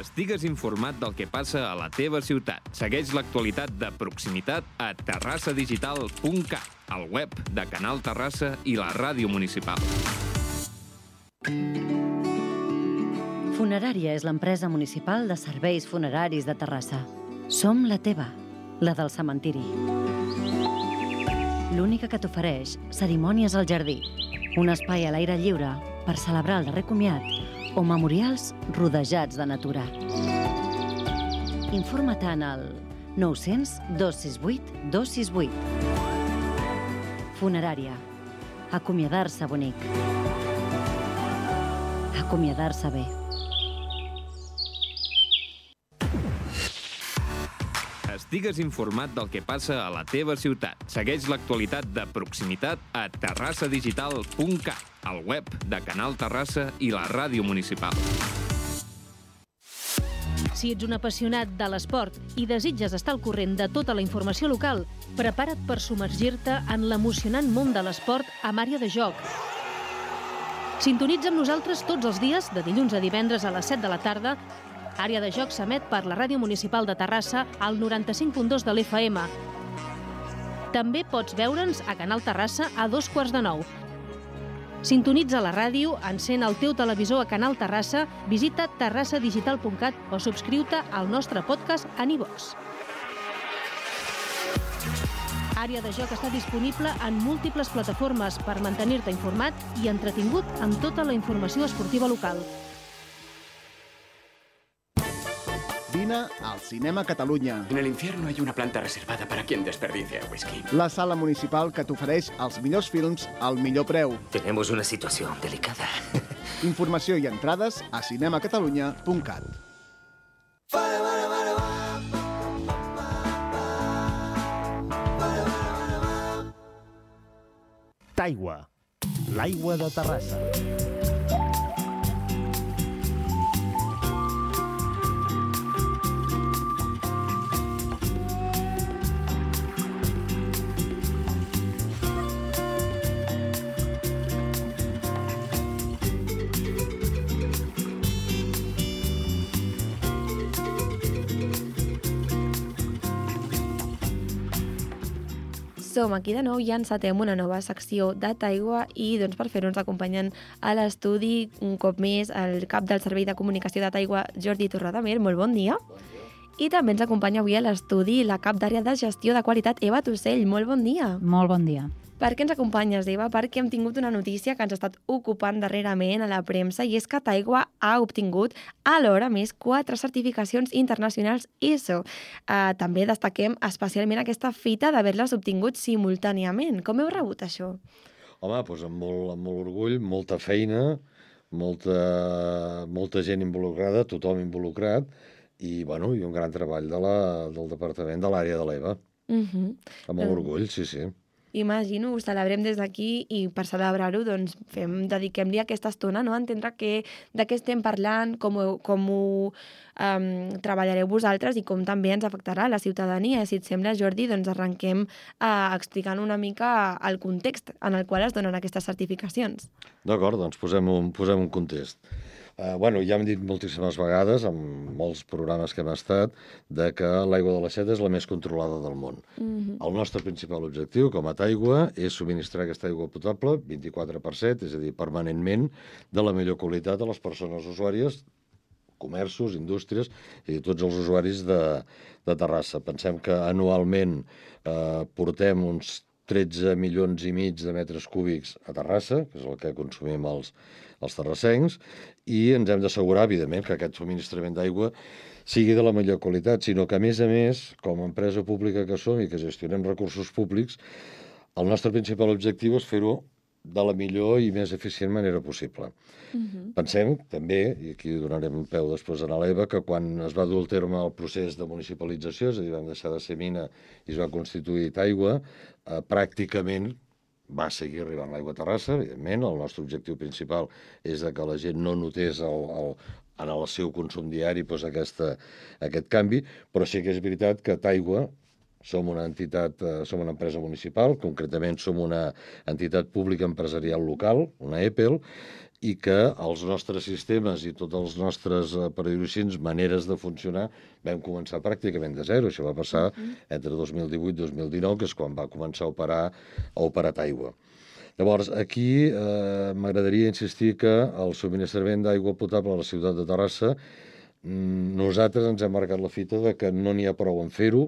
estigues informat del que passa a la teva ciutat. Segueix l'actualitat de proximitat a terrassadigital.cat, al web de Canal Terrassa i la ràdio municipal. Funerària és l'empresa municipal de serveis funeraris de Terrassa. Som la teva, la del cementiri. L'única que t'ofereix cerimònies al jardí, un espai a l'aire lliure per celebrar el darrer comiat o memorials rodejats de natura. Informa-te'n al 900 268 268. Funerària. Acomiadar-se bonic. Acomiadar-se bé. Estigues informat del que passa a la teva ciutat. Segueix l'actualitat de proximitat a terrassadigital.cat, al web de Canal Terrassa i la ràdio municipal. Si ets un apassionat de l'esport i desitges estar al corrent de tota la informació local, prepara't per submergir-te en l'emocionant món de l'esport amb Àrea de Joc. Sintonitza amb nosaltres tots els dies, de dilluns a divendres a les 7 de la tarda. Àrea de Joc s'emet per la Ràdio Municipal de Terrassa al 95.2 de l'FM. També pots veure'ns a Canal Terrassa a 8:45. Sintonitza la ràdio, encén el teu televisor a Canal Terrassa, visita terrassadigital.cat o subscriu-te al nostre podcast a iVox. Àrea de Joc està disponible en múltiples plataformes per mantenir-te informat i entretingut amb tota la informació esportiva local. Vine al Cinema Catalunya. En el infierno hay una planta reservada para quien desperdicia el whisky. La sala municipal que t'ofereix els millors films al millor preu. Tenemos una situación delicada. Informació i entrades a cinemacatalunya.cat. Taigua, l'aigua de Terrassa. Som aquí de nou i encetem una nova secció de Taigua i doncs, per fer-ho ens acompanyen a l'estudi un cop més el cap del Servei de Comunicació de Taigua, Jordi Torredamer. Molt bon dia. I també ens acompanya avui a l'estudi la cap d'àrea de gestió de qualitat, Eva Tussell. Molt bon dia. Molt bon dia. Per què ens acompanyes, Eva? Perquè hem tingut una notícia que ens ha estat ocupant darrerament a la premsa i és que Taigua ha obtingut alhora més 4 certificacions internacionals ISO. També destaquem especialment aquesta fita d'haver-les obtingut simultàniament. Com heu rebut això? Home, doncs amb molt orgull, molta feina, molta gent involucrada, tothom involucrat, i un gran treball del departament de l'àrea de l'EVA. Amb molt orgull, sí. Imagino, ho celebrem des d'aquí i per celebrar-ho doncs, dediquem-li aquesta estona a entendre de què estem parlant, com ho treballareu vosaltres i com també ens afectarà la ciutadania. Si et sembla, Jordi, doncs arrenquem explicant una mica el context en el qual es donen aquestes certificacions. D'acord, doncs posem un context. Ja hem dit moltíssimes vegades, amb molts programes que hem estat, que l'aigua de l'aixeta és la més controlada del món. El nostre principal objectiu, com a Taigua, és subministrar aquesta aigua potable 24/7, és a dir, permanentment, de la millor qualitat a les persones usuàries, comerços, indústries i tots els usuaris de Terrassa. Pensem que anualment portem uns 13 milions i mig de metres cúbics a Terrassa, que és el que consumim els terrassencs, i ens hem d'assegurar, evidentment, que aquest subministrament d'aigua sigui de la millor qualitat, sinó que, a més, com a empresa pública que som i que gestionem recursos públics, el nostre principal objectiu és fer-ho de la millor i més eficient manera possible. Pensem, també, i aquí donarem peu després a l'EVA, que quan es va dur a terme el procés de municipalització, és a dir, vam deixar de ser mina i es va constituir Taigua, pràcticament va seguir arribant l'aigua a Terrassa, evidentment. El nostre objectiu principal és que la gent no notés en el seu consum diari aquest canvi, però sí que és veritat que Taigua som una entitat, som una empresa municipal, concretament som una entitat pública empresarial local, una EPEL, i que els nostres sistemes i tots els nostres, per dir-ho així, maneres de funcionar vam començar pràcticament de zero. Això va passar entre 2018 i 2019, que és quan va començar a operar Taigua. Llavors, aquí m'agradaria insistir que el subministrament d'aigua potable a la ciutat de Terrassa, nosaltres ens hem marcat la fita de que no n'hi ha prou en fer-ho,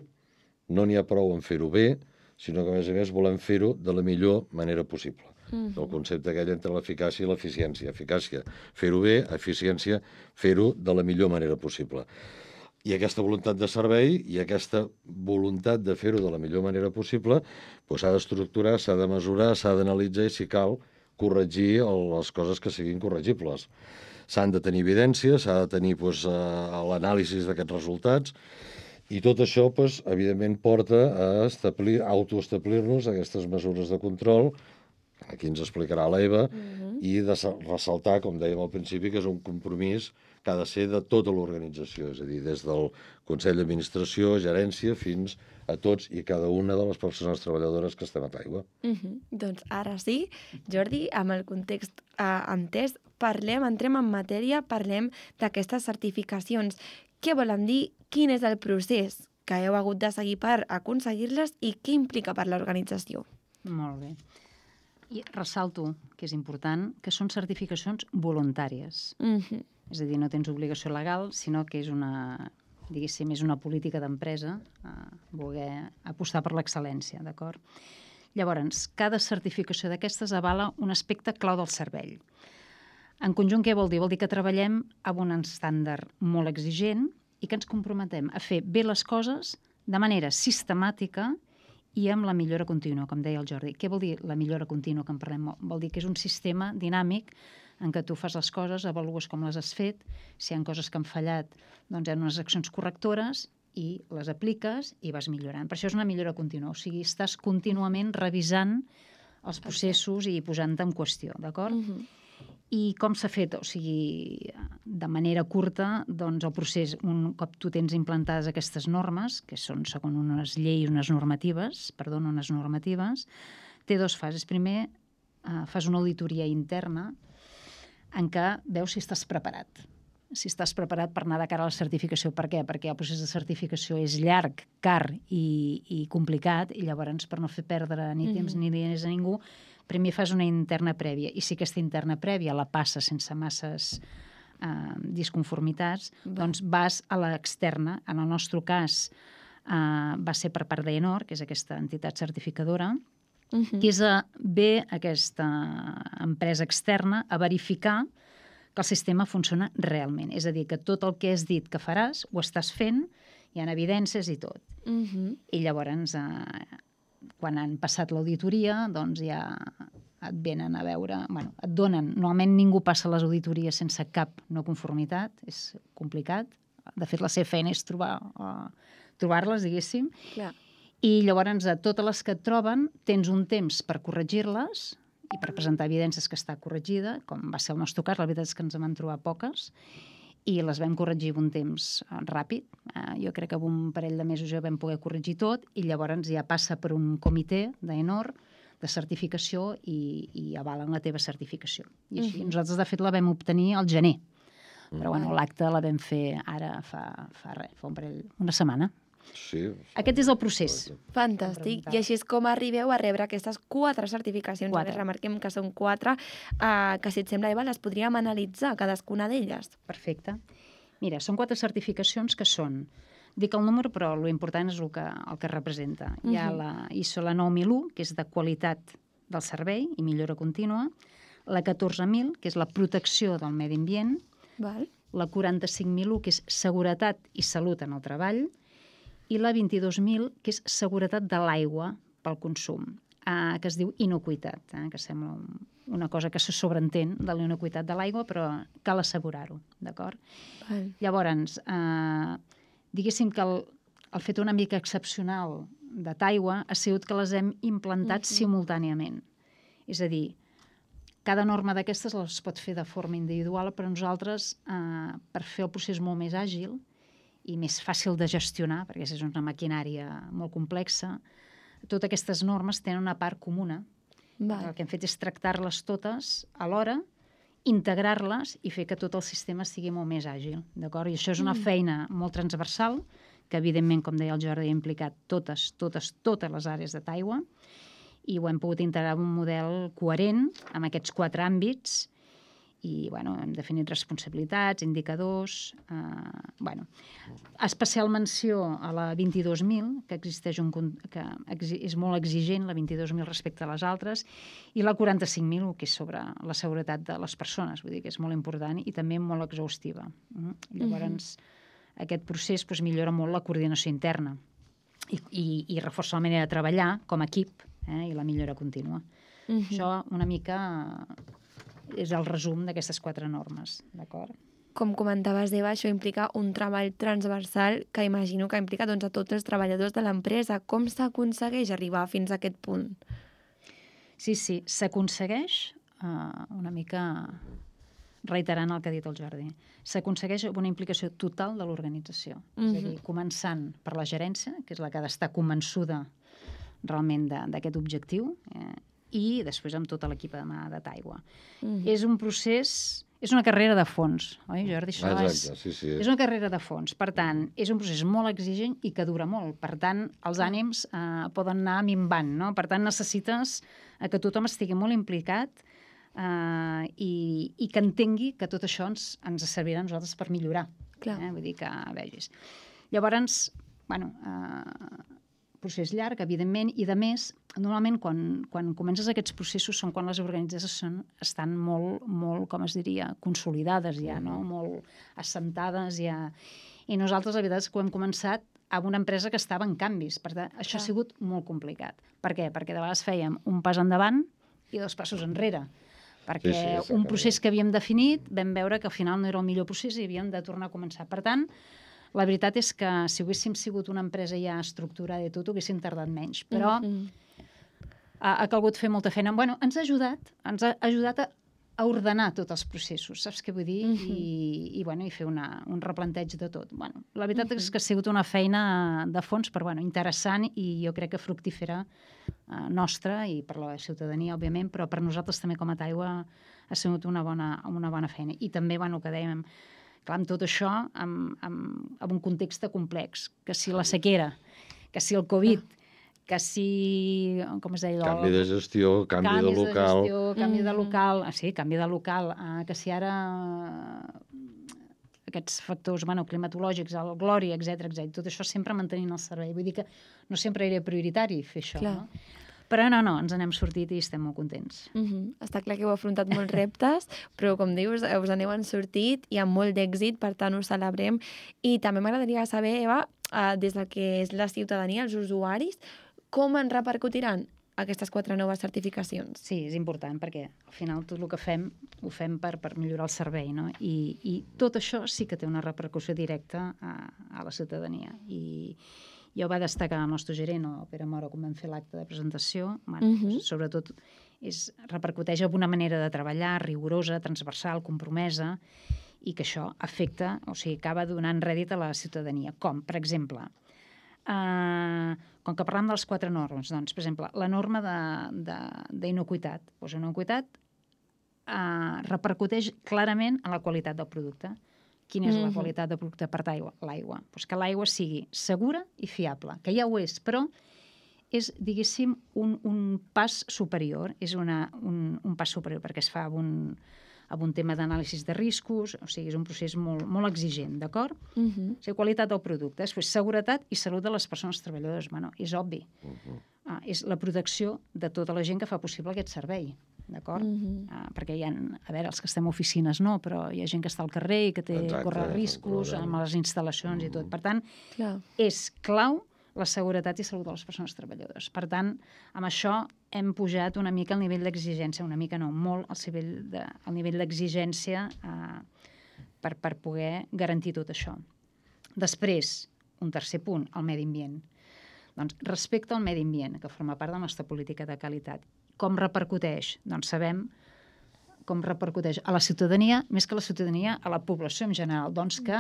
no n'hi ha prou en fer-ho bé, sinó que, a més, volem fer-ho de la millor manera possible. El concepte aquell entre l'eficàcia i l'eficiència. Eficàcia, fer-ho bé; eficiència, fer-ho de la millor manera possible. I aquesta voluntat de servei i aquesta voluntat de fer-ho de la millor manera possible s'ha d'estructurar, s'ha de mesurar, s'ha d'analitzar i, si cal, corregir les coses que siguin corregibles. S'han de tenir evidències, s'ha de tenir l'anàlisi d'aquests resultats, i tot això, evidentment, porta a autoestablir-nos aquestes mesures de control. Aquí ens explicarà l'Eva, i de ressaltar, com dèiem al principi, que és un compromís que ha de ser de tota l'organització, és a dir, des del Consell d'Administració, gerència, fins a tots i cada una de les persones treballadores que estem a Taigua. Doncs ara sí, Jordi, amb el context entès, entrem en matèria, parlem d'aquestes certificacions. Què volen dir? Quin és el procés que heu hagut de seguir per aconseguir-les i què implica per l'organització? Molt bé. I ressalto, que és important, que són certificacions voluntàries. És a dir, no tens obligació legal, sinó que és diguéssim, és una política d'empresa voler apostar per l'excel·lència, d'acord? Llavors, cada certificació d'aquestes avala un aspecte clau del servei. En conjunt, què vol dir? Vol dir que treballem amb un estàndard molt exigent i que ens comprometem a fer bé les coses de manera sistemàtica i amb la millora contínua, com deia el Jordi. Què vol dir la millora contínua que en parlem? Vol dir que és un sistema dinàmic en què tu fas les coses, avalues com les has fet, si hi ha coses que han fallat, doncs hi ha unes accions correctores i les apliques i vas millorant. Per això és una millora contínua, o sigui, estàs contínuament revisant els processos i posant-te en qüestió, d'acord? I com s'ha fet? O sigui, de manera curta, doncs el procés, un cop tu tens implantades aquestes normes, que són segons unes lleis, unes normatives, té dues fases. Primer, fas una auditoria interna en què veus si estàs preparat. Si estàs preparat per anar de cara a la certificació. Per què? Perquè el procés de certificació és llarg, car i complicat, i llavors, per no fer perdre ni temps ni diners a ningú, primer fas una interna prèvia, i si aquesta interna prèvia la passa sense masses disconformitats, doncs vas a l'externa. En el nostre cas va ser per part d'Enor, que és aquesta entitat certificadora, que és ve aquesta empresa externa a verificar que el sistema funciona realment. És a dir, que tot el que has dit que faràs ho estàs fent, hi ha evidències i tot. I llavors, quan han passat l'auditoria, doncs ja et venen a veure, et donen. Normalment ningú passa les auditories sense cap no conformitat, és complicat. De fet, la seva feina és trobar-les, diguéssim. I llavors, a totes les que et troben, tens un temps per corregir-les i per presentar evidències que està corregida, com va ser el nostre cas. La veritat és que ens en vam trobar poques, i les vam corregir en un temps ràpid. Jo crec que en un parell de mesos ja vam poder corregir tot, i llavors ja passa per un comitè d'Enor de certificació i avalen la teva certificació. I així, nosaltres, de fet, la vam obtenir al gener. Però l'acte la vam fer ara fa una setmana. Sí. Aquest és el procés. Fantàstic. I així és com arribeu a rebre aquestes 4 certificacions. Remarquem que són 4, que, si et sembla, Eva, les podríem analitzar, cadascuna d'elles. Perfecte. Mira, són 4 certificacions que són... Dic el número, però l'important és el que representa. Hi ha la ISO 9001, que és de qualitat del servei i millora contínua, la 14.000, que és la protecció del medi ambient, la 45.001, que és seguretat i salut en el treball, i la 22.000, que és seguretat de l'aigua pel consum, que es diu inocuïtat, que sembla una cosa que se sobreentén de la inocuïtat de l'aigua, però cal assegurar-ho, d'acord? Llavors, diguéssim que el fet una mica excepcional de Taigua ha sigut que les hem implantat simultàniament. És a dir, cada norma d'aquestes les pot fer de forma individual, però nosaltres, per fer el procés molt més àgil i més fàcil de gestionar, perquè és una maquinària molt complexa, totes aquestes normes tenen una part comuna. El que hem fet és tractar-les totes alhora integrar-les i fer que tot el sistema sigui molt més àgil, d'acord? I això és una feina molt transversal, que evidentment, com deia el Jordi, ha implicat totes les àrees de Taigua, i ho hem pogut integrar en un model coherent amb aquests 4 àmbits, i hem definit responsabilitats, indicadors... Especial menció a la 22.000, que és molt exigent, la 22.000 respecte a les altres, i la 45.000, que és sobre la seguretat de les persones, vull dir que és molt important i també molt exhaustiva. Llavors, aquest procés millora molt la coordinació interna i reforça la manera de treballar com a equip i la millora contínua. Això una mica és el resum d'aquestes 4 normes, d'acord? Com comentaves, Eva, això implica un treball transversal que imagino que implica a tots els treballadors de l'empresa. Com s'aconsegueix arribar fins a aquest punt? Sí, s'aconsegueix una mica reiterant el que ha dit el Jordi. S'aconsegueix una implicació total de l'organització. És a dir, començant per la gerència, que és la que ha d'estar convençuda realment d'aquest objectiu, i després amb tot l'equip de Taigua. És un procés, és una carrera de fons, oi, Jordi? Exacte, sí. És una carrera de fons. Per tant, és un procés molt exigent i que dura molt. Per tant, els ànims poden anar minvant, no? Per tant, necessites que tothom estigui molt implicat i que entengui que tot això ens servirà a nosaltres per millorar. Vull dir que vegis. Llavors, procés llarg, evidentment, i de més, normalment quan comences aquests processos són quan les organitzacions estan molt, com es diria, consolidades ja, no? Molt assentades ja. I nosaltres, la veritat és que ho hem començat amb una empresa que estava en canvis. Per tant, això ha sigut molt complicat. Per què? Perquè de vegades fèiem un pas endavant i 2 passos enrere. Perquè un procés que havíem definit vam veure que al final no era el millor procés i havíem de tornar a començar. Per tant, la veritat és que si haguéssim sigut una empresa ja estructurada i tot, ho haguéssim tardat menys. Però ha calgut fer molta feina. Ens ha ajudat a ordenar tots els processos, saps què vull dir? I fer un replanteig de tot. La veritat és que ha sigut una feina de fons, però interessant i jo crec que fructífera nostra i per la ciutadania, òbviament, però per nosaltres també com a Taigua ha sigut una bona feina. I també, que dèiem, clar, amb tot això, amb un context complex, que si la sequera, que si el Covid, que si, com es deia... Canvi de gestió, canvi de local... Canvi de local, sí, canvi de local, que si ara aquests factors climatològics, el glòria, etc, tot això sempre mantenint el servei. Vull dir que no sempre era prioritari fer això, no? Però no, ens n'hem sortit i estem molt contents. Està clar que heu afrontat molts reptes, però com dius, us n'heu sortit i amb molt d'èxit, per tant ho celebrem. I també m'agradaria saber, Eva, des del que és la ciutadania, els usuaris, com en repercutiran aquestes 4 noves certificacions? Sí, és important, perquè al final tot el que fem, ho fem per millorar el servei, no? I tot això sí que té una repercussió directa a la ciutadania. I ja ho va destacar el nostre gerent, el Pere Mora, quan vam fer l'acte de presentació. Sobretot repercuteix en una manera de treballar rigorosa, transversal, compromesa, i que això afecta, o sigui, acaba donant rèdit a la ciutadania. Com, per exemple, com que parlem de les 4 normes, doncs, per exemple, la norma d'inocuïtat. Inocuïtat repercuteix clarament en la qualitat del producte. Quina és la qualitat del producte per l'aigua? Que l'aigua sigui segura i fiable, que ja ho és, però és, diguéssim, un pas superior. És un pas superior perquè es fa amb un tema d'anàlisi de riscos, o sigui, és un procés molt exigent, d'acord? O sigui, qualitat del producte. Després, seguretat i salut de les persones treballadores. És obvi. És la protecció de tota la gent que fa possible aquest servei, d'acord? Perquè hi ha, a veure, els que estem a oficines no, però hi ha gent que està al carrer i que corre riscos amb les instal·lacions i tot. Per tant, és clau la seguretat i salut de les persones treballadores. Per tant, amb això hem pujat una mica el nivell d'exigència, una mica no, molt el nivell d'exigència per poder garantir tot això. Després, un tercer punt, el medi ambient. Doncs respecte al medi ambient, que forma part de la nostra política de qualitat, com repercuteix? Doncs sabem com repercuteix a la ciutadania, més que a la ciutadania, a la població en general. Doncs que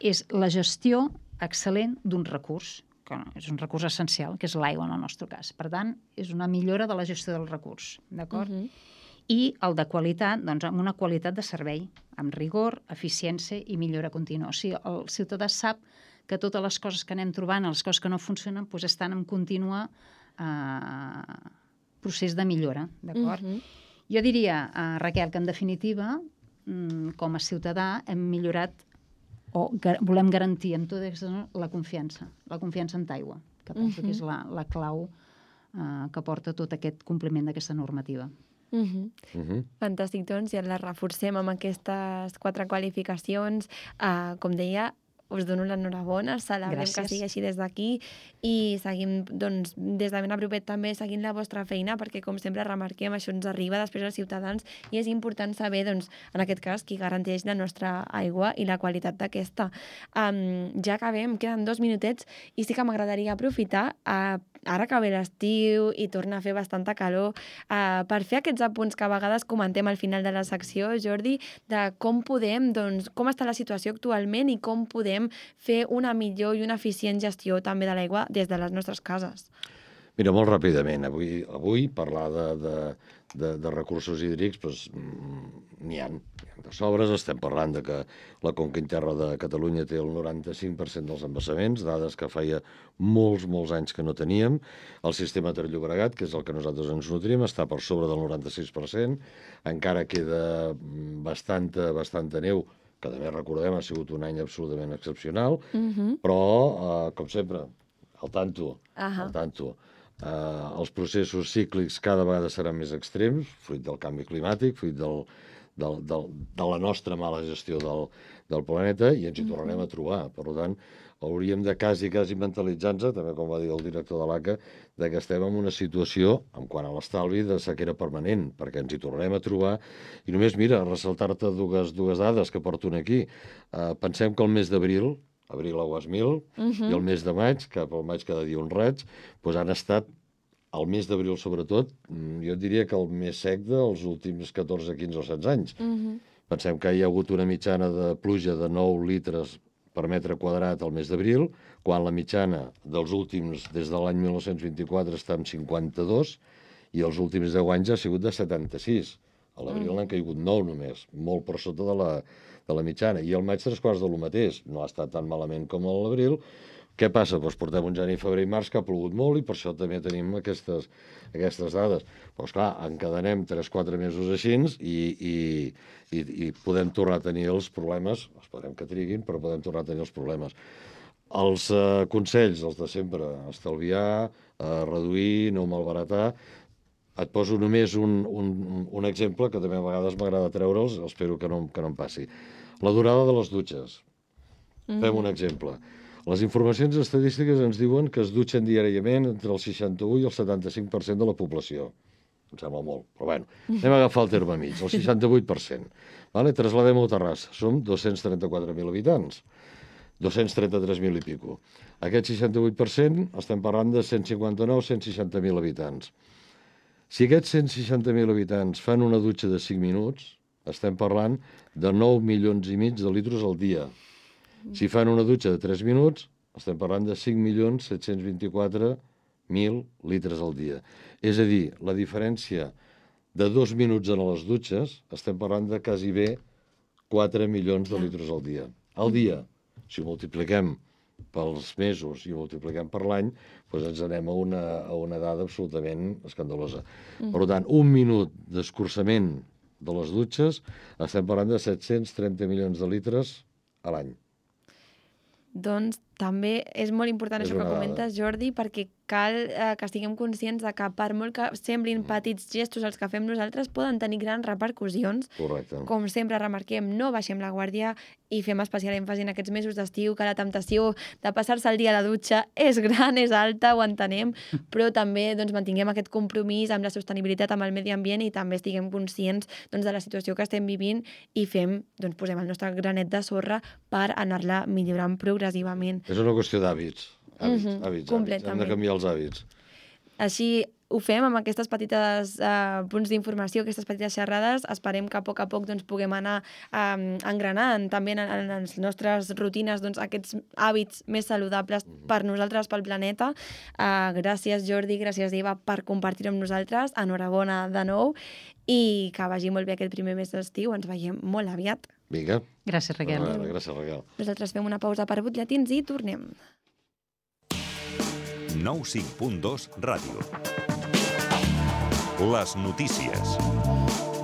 és la gestió excel·lent d'un recurs, que és un recurs essencial, que és l'aigua en el nostre cas. Per tant, és una millora de la gestió del recurs, d'acord? I el de qualitat, doncs amb una qualitat de servei, amb rigor, eficiència i millora contínua. O sigui, el ciutadà sap que totes les coses que anem trobant, les coses que no funcionen, doncs estan en continu procés de millora, d'acord? Jo diria, Raquel, que en definitiva, com a ciutadà, hem millorat o volem garantir amb tot la confiança en Taigua, que penso que és la clau que porta tot aquest compliment d'aquesta normativa. Fantàstic, doncs, i la reforcem amb aquestes 4 qualificacions. Com deia, us dono l'enhorabona, celebrem que sigui així des d'aquí i seguim, doncs, des de ben a propet també seguint la vostra feina, perquè com sempre remarquem, això ens arriba després als ciutadans i és important saber, doncs, en aquest cas, qui garanteix la nostra aigua i la qualitat d'aquesta. Ja acabem, queden 2 minutets i sí que m'agradaria aprofitar, ara que ve l'estiu i torna a fer bastanta calor, per fer aquests apunts que a vegades comentem al final de la secció, Jordi, de com podem, doncs, com està la situació actualment i com podem fer una millor i una eficient gestió també de l'aigua des de les nostres cases. Mira, molt ràpidament, avui parlar de recursos hídrics, doncs, n'hi ha de sobres. Estem parlant de que la conca interna de Catalunya té el 95% dels embassaments, dades que feia molts anys que no teníem. El sistema Ter-Llobregat, que és el que nosaltres ens nutrim, està per sobre del 96%. Encara queda bastanta neu, que també recordem ha sigut un any absolutament excepcional, però, com sempre, al tanto. Els processos cíclics cada vegada seran més extrems, fruit del canvi climàtic, fruit de la nostra mala gestió del planeta, i ens hi tornarem a trobar. Per tant, hauríem de quasi mentalitzar-nos, també com va dir el director de l'ACA, que estem en una situació, en quant a l'estalvi, de sequera permanent, perquè ens hi tornarem a trobar. I només, mira, ressaltar-te dues dades que porto aquí. Pensem que el mes d'abril, abril agost 1000, i el mes de maig, cap al maig cada dia un raig, doncs han estat, el mes d'abril sobretot, jo diria que el més sec dels últims 14, 15 o 16 anys. Pensem que hi ha hagut una mitjana de pluja de 9 litres per metre quadrat al mes d'abril, quan la mitjana dels últims, des de l'any 1924, està en 52, i els últims 10 anys ha sigut de 76. A l'abril n'han caigut 9 només, molt per sota de la mitjana. I el maig 3/4 de lo mateix. No ha estat tan malament com a l'abril. Què passa? Doncs portem un gener, febrer i març que ha plogut molt i per això també tenim aquestes dades. Però, esclar, encadenem 3-4 mesos així i podem tornar a tenir els problemes, esperem que triguin, però podem tornar a tenir els problemes. Els consells, els de sempre, estalviar, reduir, no malbaratar. Et poso només un exemple que també a vegades m'agrada treure'ls, espero que no em passi. La durada de les dutxes. Fem un exemple. Les informacions estadístiques ens diuen que es dutxen diàriament entre el 61 i el 75% de la població. Em sembla molt, però bueno, anem a agafar el terme mig, el 68%. Trasladem-ho a Terrassa, som 234.000 habitants, 233.000 i pico. Aquest 68% estem parlant de 159-160.000 habitants. Si aquests 160.000 habitants fan una dutxa de 5 minuts, estem parlant de 9,5 milions de litres al dia. Si fan una dutxa de 3 minuts, estem parlant de 5.724.000 litres al dia. És a dir, la diferència de 2 minuts en les dutxes, estem parlant de quasi bé 4 milions de litres al dia. Al dia, si ho multipliquem pels mesos i ho multipliquem per l'any, doncs ens anem a una dada absolutament escandalosa. Per tant, un minut d'escurçament de les dutxes, estem parlant de 730 milions de litres a l'any. Doncs també és molt important això que comentes, Jordi, perquè cal que estiguem conscients de que per molt que semblin petits gestos els que fem nosaltres poden tenir grans repercussions. Correcte. Com sempre remarquem, no baixem la guàrdia i fem especial èmfasi en aquests mesos d'estiu, que la temptació de passar-se el dia a la dutxa és gran, és alta, ho entenem, però també mantinguem aquest compromís amb la sostenibilitat, amb el medi ambient i també estiguem conscients de la situació que estem vivint i posem el nostre granet de sorra per anar-la millorant progressivament. És una qüestió d'hàbits. Hàbits. Hem de canviar els hàbits. Així ho fem amb aquestes petites punts d'informació, aquestes petites xerrades. Esperem que a poc puguem anar engranant també en les nostres rutines aquests hàbits més saludables per nosaltres, pel planeta. Gràcies, Jordi, gràcies, Eva, per compartir-ho amb nosaltres. Enhorabona de nou i que vagi molt bé aquest primer mes d'estiu. Ens veiem molt aviat. Vinga. Gràcies, Raquel. Gràcies, Raquel. Nosaltres fem una pausa per butlletins i tornem. 95.2 Ràdio. Les notícies.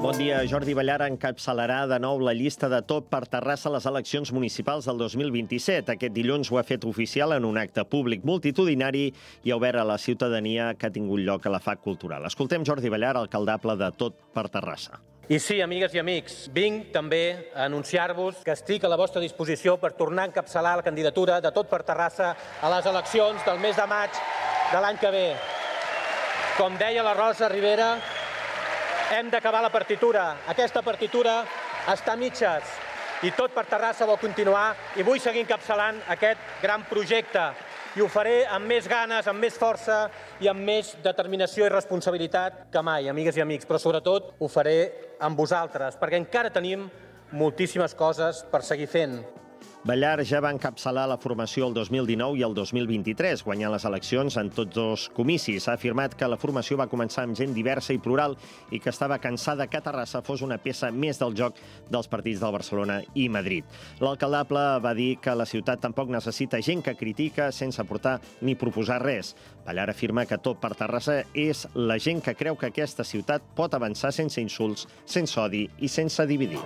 Bon dia. Jordi Ballar encapçalarà de nou la llista de Tot per Terrassa a les eleccions municipals del 2027. Aquest dilluns ho ha fet oficial en un acte públic multitudinari i obert a la ciutadania que ha tingut lloc a la FAC Cultural. Escoltem Jordi Ballar, alcaldable de Tot per Terrassa. I sí, amigues i amics, vinc també a anunciar-vos que estic a la vostra disposició per tornar a encapçalar la candidatura de Tot per Terrassa a les eleccions del mes de maig de l'any que ve. Com deia la Rosa Rivera, hem d'acabar la partitura. Aquesta partitura està a mitges i Tot per Terrassa vol continuar i vull seguir encapçalant aquest gran projecte. I ho faré amb més ganes, amb més força i amb més determinació i responsabilitat que mai, amigues i amics. Però sobretot ho faré amb vosaltres, perquè encara tenim moltíssimes coses per seguir fent. Ballar ja va encapçalar la formació el 2019 i el 2023, guanyant les eleccions en tots dos comicis. Ha afirmat que la formació va començar amb gent diversa i plural i que estava cansada que Terrassa fos una peça més del joc dels partits del Barcelona i Madrid. L'alcaldable va dir que la ciutat tampoc necessita gent que critica sense aportar ni proposar res. Ballar afirma que Tot per Terrassa és la gent que creu que aquesta ciutat pot avançar sense insults, sense odi i sense dividir.